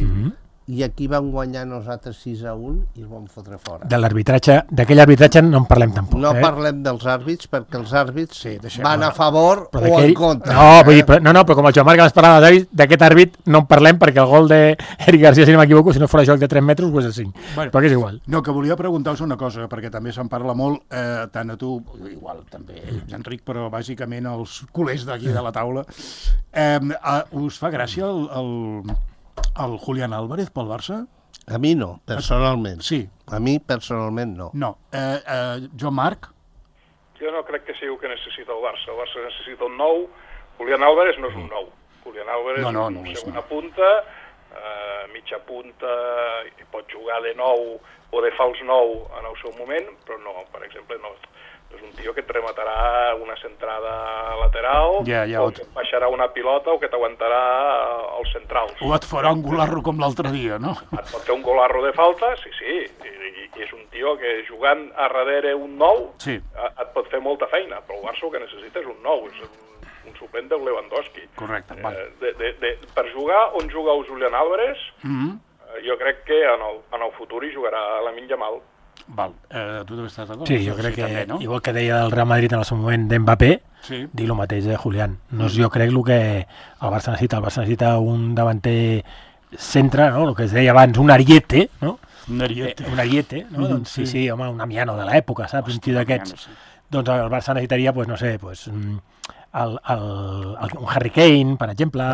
i aquí vam guanyar nosaltres 6-1 i el vam fotre fora. D'aquell arbitratge no en parlem tampoc. No parlem dels àrbits perquè els àrbits van a favor o en contra. Però com el Joan Marc ens parlava d'aquest àrbit no en parlem perquè el gol d'Eric Garcia, si no m'equivoco, si no fos joc de 3 metres, doncs és 5. Però que és igual. No, que volia preguntar-vos una cosa, perquè també se'n parla molt, tant a tu, igual també, Enric, però bàsicament els culers d'aquí de la taula. Us fa gràcia el Julián Álvarez pel Barça? A mi no, personalment. Sí. A mi personalment no. No. Joan Marc? Jo no crec que sigui el que necessita el Barça. El Barça necessita un nou. Julián Álvarez no és un nou. Julián Álvarez és una segona punta, mitja punta, i pot jugar de nou o de fals nou en el seu moment, però no, per exemple, no és un tio que et rematarà una centrada lateral, o que et baixarà una pilota o que t'aguantarà els centrals. O et farà un golarro com l'altre dia, no? Et pot fer un golarro de falta, sí, i és un tio que jugant a darrere un nou et pot fer molta feina, però el Barça el que necessita és un nou, és un suplent de Lewandowski. Correcte. Per jugar on juga el Julián Álvarez, jo crec que en el futur hi jugarà Lamine Yamal. Val, tu també estàs d'acord? Sí, jo crec que, també, no? Igual que deia el Real Madrid en el seu moment d'Mbappé, dic el mateix de Julián. No és jo crec el que el Barça necessita. El Barça necessita un davanter centre, no? El que es deia abans, un ariete, no? Un ariete, no? Doncs sí, home, un Amiano de l'època, saps? Un tio d'aquests. Doncs el Barça necessitaria, no sé, un Harry Kane, per exemple.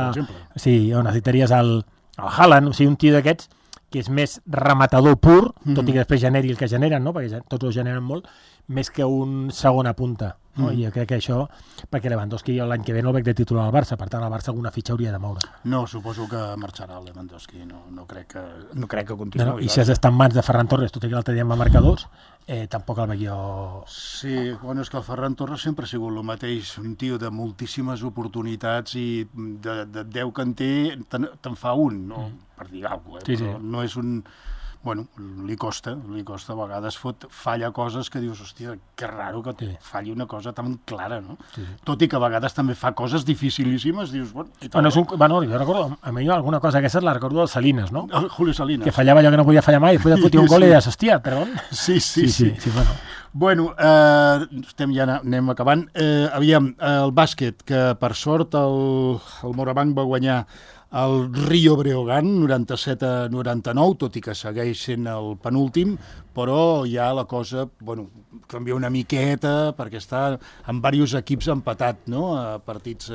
Sí, o necessitaries el Haaland, o sigui, un tio d'aquests que és més rematador pur, tot i que després generi el que generen, no? Perquè tots ho generen molt, més que un segona punta. No? I jo crec que això, perquè Lewandowski l'any que ve no el veig de titular al Barça, per tant el Barça alguna fitxa hauria de moure. No, suposo que marxarà el Lewandowski, no crec que continuï. I si has d'estar en mans de Ferran Torres, tot i que l'altre dia em va marcar 2, tampoc el veig jo... Sí, bueno, és que el Ferran Torres sempre ha sigut el mateix, un tio de moltíssimes oportunitats i de 10 que en té, te'n fa un, no? Per dir alguna cosa, però no és un... Bueno, li costa, a vegades falla coses que dius, hòstia, que raro que falli una cosa tan clara, no? Tot i que a vegades també fa coses dificilíssimes, dius, bueno... jo recordo, a mi alguna cosa d'aquestes la recordo del Salinas, no? El Julio Salinas. Que fallava allò que no podia fallar mai, després de fotir un gol i deies, hòstia, perdó? Sí, bueno. Anem acabant. Aviam, el bàsquet, que per sort el Morabanc va guanyar el Rio Breogán, 97-99, tot i que segueix sent el penúltim, però ja la cosa, canvia una miqueta, perquè està en diversos equips empatat, no?, a partits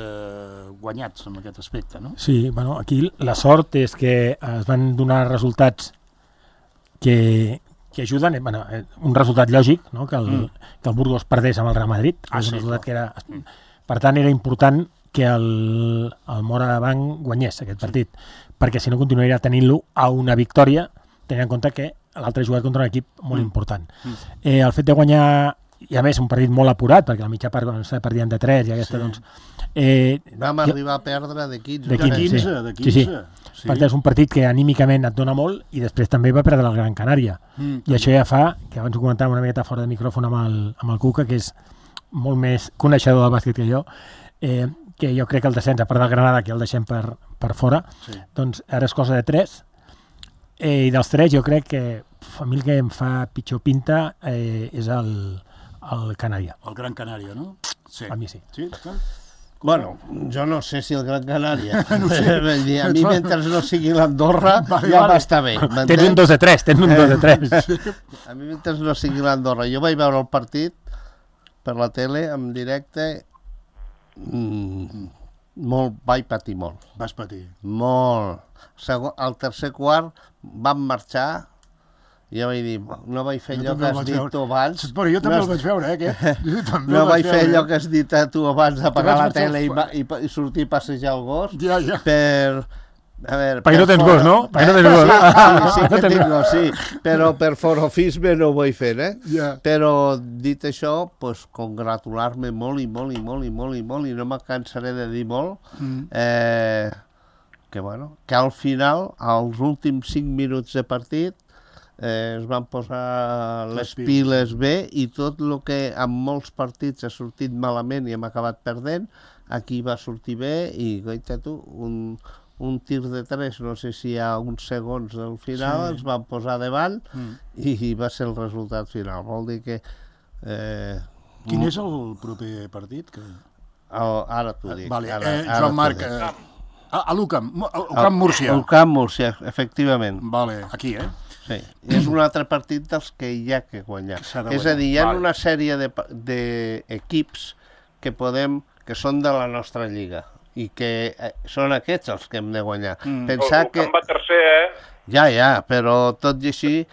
guanyats en aquest aspecte, no? Sí, aquí la sort és que es van donar resultats que ajuden, un resultat lògic, no?, que el Burgos perdés amb el Real Madrid, per tant era important que el Morabanc guanyés aquest partit, perquè si no continuaria tenint-lo a una victòria, tenint en compte que l'altre ha jugat contra un equip molt important. El fet de guanyar, i a més un partit molt apurat, perquè la mitja part quan s'ha perdien de 3 i aquesta, doncs... Vam arribar a perdre de 15. De 15. Sí. Per tant, és un partit que anímicament et dona molt i després també va perdre la Gran Canària. I això ja fa, que abans ho comentàvem una miqueta fora de micròfon amb el Cuca, que és molt més coneixedor del bàsquet que jo, que jo crec que el descens, a part del Granada, que el deixem per fora, doncs ara és cosa de 3, i dels 3 jo crec que a mi el que em fa pitjor pinta és el Canària. El Gran Canària, no? Sí. A mi sí. Sí, Bueno, jo no sé si el Gran Canària. No sé. A mi, mentre no sigui l'Andorra, ja m'està bé. Tens un 2 de 3, tens un 2 de 3. A mi, mentre no sigui l'Andorra. Jo vaig veure el partit per la tele, en directe, vaig patir molt. Vas patir. Molt. Al tercer quart vam marxar. Jo vaig dir, no vaig fer allò que has dit tu abans. Però jo també el vaig veure, aquest. No vaig fer allò que has dit tu abans d'apagar la tele i sortir a passejar el gos. Ja. Perquè no tens gos, no? Perquè no tens gos. Sí que tinc gos, sí. Però per forofisme no ho vull fer, Però dit això, congratular-me molt i no me cansaré de dir molt, que al final, als últims 5 minuts de partit, es van posar les piles bé i tot el que en molts partits ha sortit malament i hem acabat perdent, aquí va sortir bé i, goita tu, un tir de 3, no sé si hi ha uns segons al final, ens van posar davant i va ser el resultat final. Vol dir que... Quin és el proper partit? Ara t'ho dic. Joan Marc, a l'UCAM, Múrcia. UCAM Múrcia, efectivament. Vale, aquí, Sí, és un altre partit dels que hi ha que guanyar. És a dir, hi ha una sèrie d'equips que són de la nostra lliga i que són aquests els que hem de guanyar. Pensar que... va tercer, Ja, però tot i així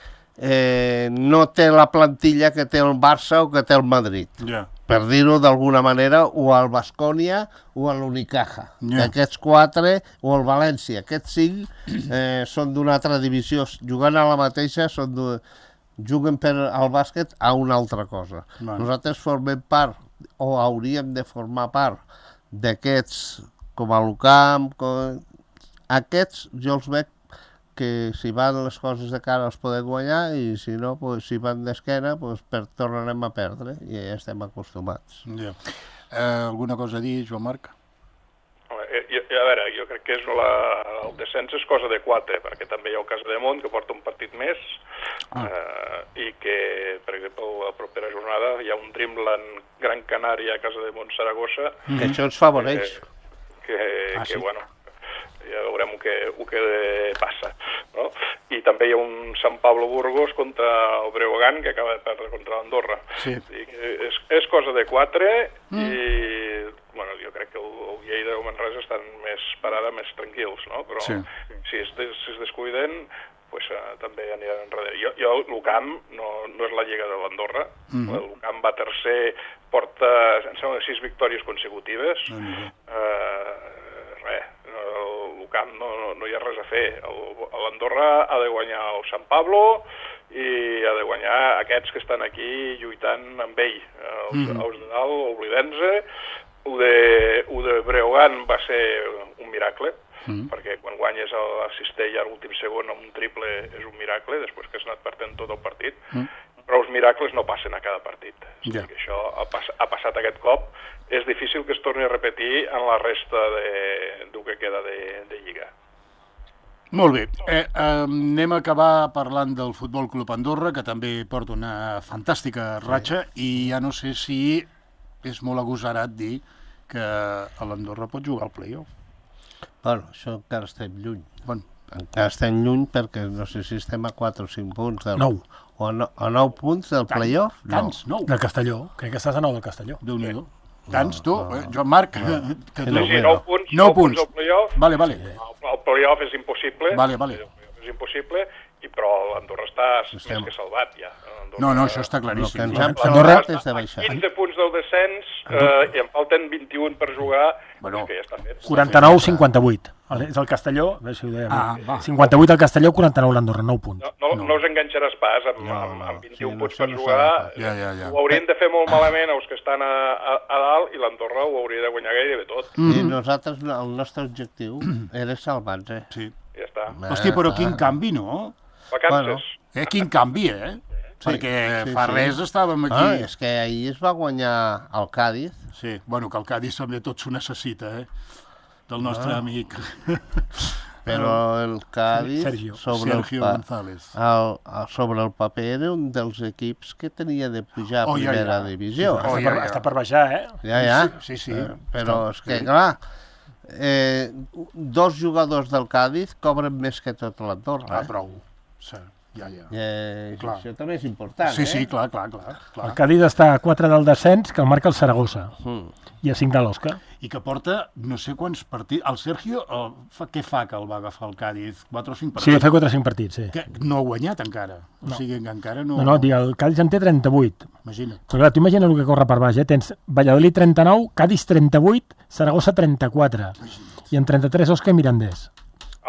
no té la plantilla que té el Barça o que té el Madrid. Per dir-ho d'alguna manera, o el Baskonia o l'Unicaja. Aquests 4, o el València. Aquests 5 són d'una altra divisió. Jugant a la mateixa, juguen al bàsquet a una altra cosa. Nosaltres formem part, o hauríem de formar part, d'aquests, com a l'UCAM. Aquests, jo els veig que si van les coses de cara els podem guanyar i si no, si van d'esquena, tornarem a perdre i ja estem acostumats. Alguna cosa a dir, Joan Marc? A veure, jo crec que el descens és cosa de 4, perquè també hi ha el Casademont, que porta un partit més, i que, per exemple, la propera jornada hi ha un Dreamland Gran Canària, Casademont, Saragossa... Que això ens favoreix. Que bueno... ja veurem el que passa, no? I també hi ha un Sant Pablo Burgos contra el Breogán, que acaba de perdre contra l'Andorra. És cosa de 4 i jo crec que el Lleida i el Manresa estan més parada, més tranquils, no? Però si es descuiden, també aniran enrere. L'UCAM no és la lliga de l'Andorra, l'UCAM va tercer, porta, em sembla, 6 victòries consecutives, l'UCAM no hi ha res a fer. L'Andorra ha de guanyar el Sant Pablo i ha de guanyar aquests que estan aquí lluitant amb ell. Els de dalt, oblidem-se. El de Breogán va ser un miracle, perquè quan guanyes a Cistella a l'últim segon amb un triple és un miracle, després que has anat perdent tot el partit. Però els miracles no passen a cada partit. O sigui que això ha passat aquest cop. És difícil que es torni a repetir en la resta del que queda de Lliga. Molt bé. Anem a acabar parlant del Futbol Club Andorra, que també porta una fantàstica ratxa, i ja no sé si és molt agosarat dir que l'Andorra pot jugar al play-off. Bueno, això encara estem lluny. Encara estem lluny perquè no sé si estem a 4 o 5 punts. 9. O a 9 punts del play-off? Tants, 9. Del Castelló. Crec que estàs a 9 del Castelló. Déu-n'hi-do. Tants, tu, Joan Marc? Sí, 9 punts al play-off. Vale. El play-off és impossible. Vale. És impossible, però l'Andorra està més que salvat, ja. No, això està claríssim. Andorra és de baixar. 15 punts del descens i en falten 21 per jugar, que ja està fet. 49-58. És el Castelló, a veure si ho dèiem. 58 al Castelló, 49 l'Andorra, 9 punts. No us enganxaràs pas amb 21 punts per jugar. Ho haurien de fer molt malament els que estan a dalt i l'Andorra ho hauria de guanyar gairebé tot. I nosaltres, el nostre objectiu era salvar-nos. Sí. Ja està. Hòstia, però quin canvi, no? Vacances. Quin canvi, perquè fa res estàvem aquí... És que ahir es va guanyar el Cádiz. Sí, bueno, que el Cádiz també tot s'ho necessita, del nostre amic. Però el Cádiz, Sergio González, sobre el paper, era un dels equips que tenia de pujar a primera divisió. Està per baixar, Ja. Sí. Però és que, clar, 2 jugadors del Cádiz cobren més que tot l'Andorra. Prou. Ja. Això també és important, Sí, clar. El Cádiz està a 4 del descens, que el marca el Saragossa, i a 5 de l'Osca. I que porta no sé quants partits... El Sergio, què fa que el va agafar el Cádiz? 4 o 5 partits? Sí, fa 4 o 5 partits, sí. Que no ha guanyat encara. O sigui que encara no... No, el Cádiz en té 38. Imagina't. Però clar, tu imagina el que corre per baix, Tens Valladolid 39, Cádiz 38, Saragossa 34, i en 33 Osca i Mirandés.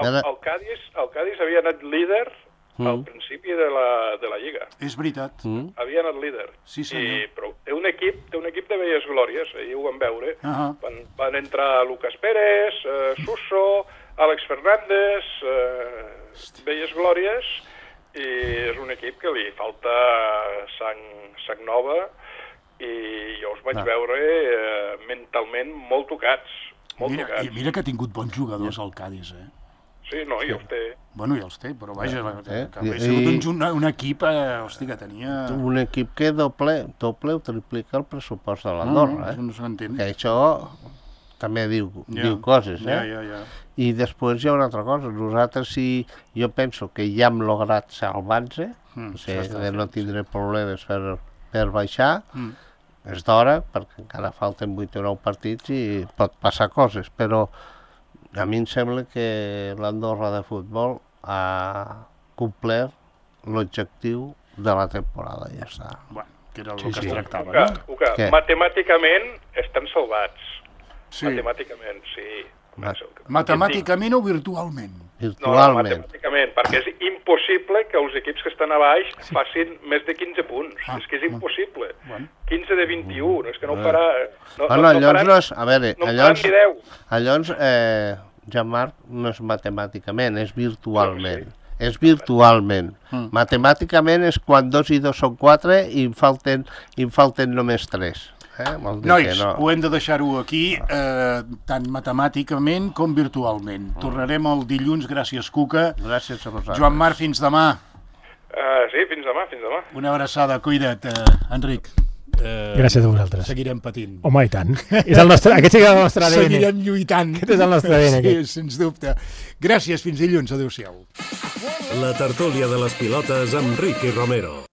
El Cádiz havia anat líder al principi de la Lliga. És veritat. Havia anat líder. Sí, senyor. Però té un equip de velles glòries, ahir ho vam veure. Van entrar Lucas Pérez, Suso, Àlex Fernández, velles glòries, i és un equip que li falta sang nova, i jo els vaig veure mentalment molt tocats. I mira que ha tingut bons jugadors al Cádiz, Sí, no, ja els té. Bueno, ja els té, però vaja, que ha sigut un equip, que tenia... Un equip que doble o triplica el pressupost de l'Andorra, Això no s'entén. Que això també diu coses, Ja. I després hi ha una altra cosa. Nosaltres, jo penso que ja hem lograt salvar-nos, de no tindre problemes per baixar, és d'hora, perquè encara falten 8 o 9 partits i pot passar coses, però a mi em sembla que l'Andorra de futbol ha complert l'objectiu de la temporada, ja està. Bueno, que era el que es tractava. Matemàticament estan salvats. Matemàticament, sí. Matemàticament o virtualment? Virtualment. No, matemàticament, perquè és impossible que els equips que estan a baix facin més de 15 punts. És que és impossible. 15 de 21, és que no ho farà... Llavors, a veure, allò Jean-Marc, no és matemàticament, és virtualment. És virtualment. Matemàticament és quan 2 i 2 són 4 i em falten només 3. Nois, ho hem de deixar-ho aquí, tant matemàticament com virtualment. Tornarem el dilluns, gràcies, Cuca. Gràcies a vosaltres. Joan Marc, fins demà. Sí, fins demà. Una abraçada, cuida't, Enric. Gràcies a vosaltres. Seguirem patint. Home, i tant. Aquest sí que és el nostre ADN. Seguirem lluitant. Aquest és el nostre ADN. Sí, sens dubte. Gràcies, fins dilluns. Adéu-siau. La tertúlia de les pilotes amb Ricky Romero.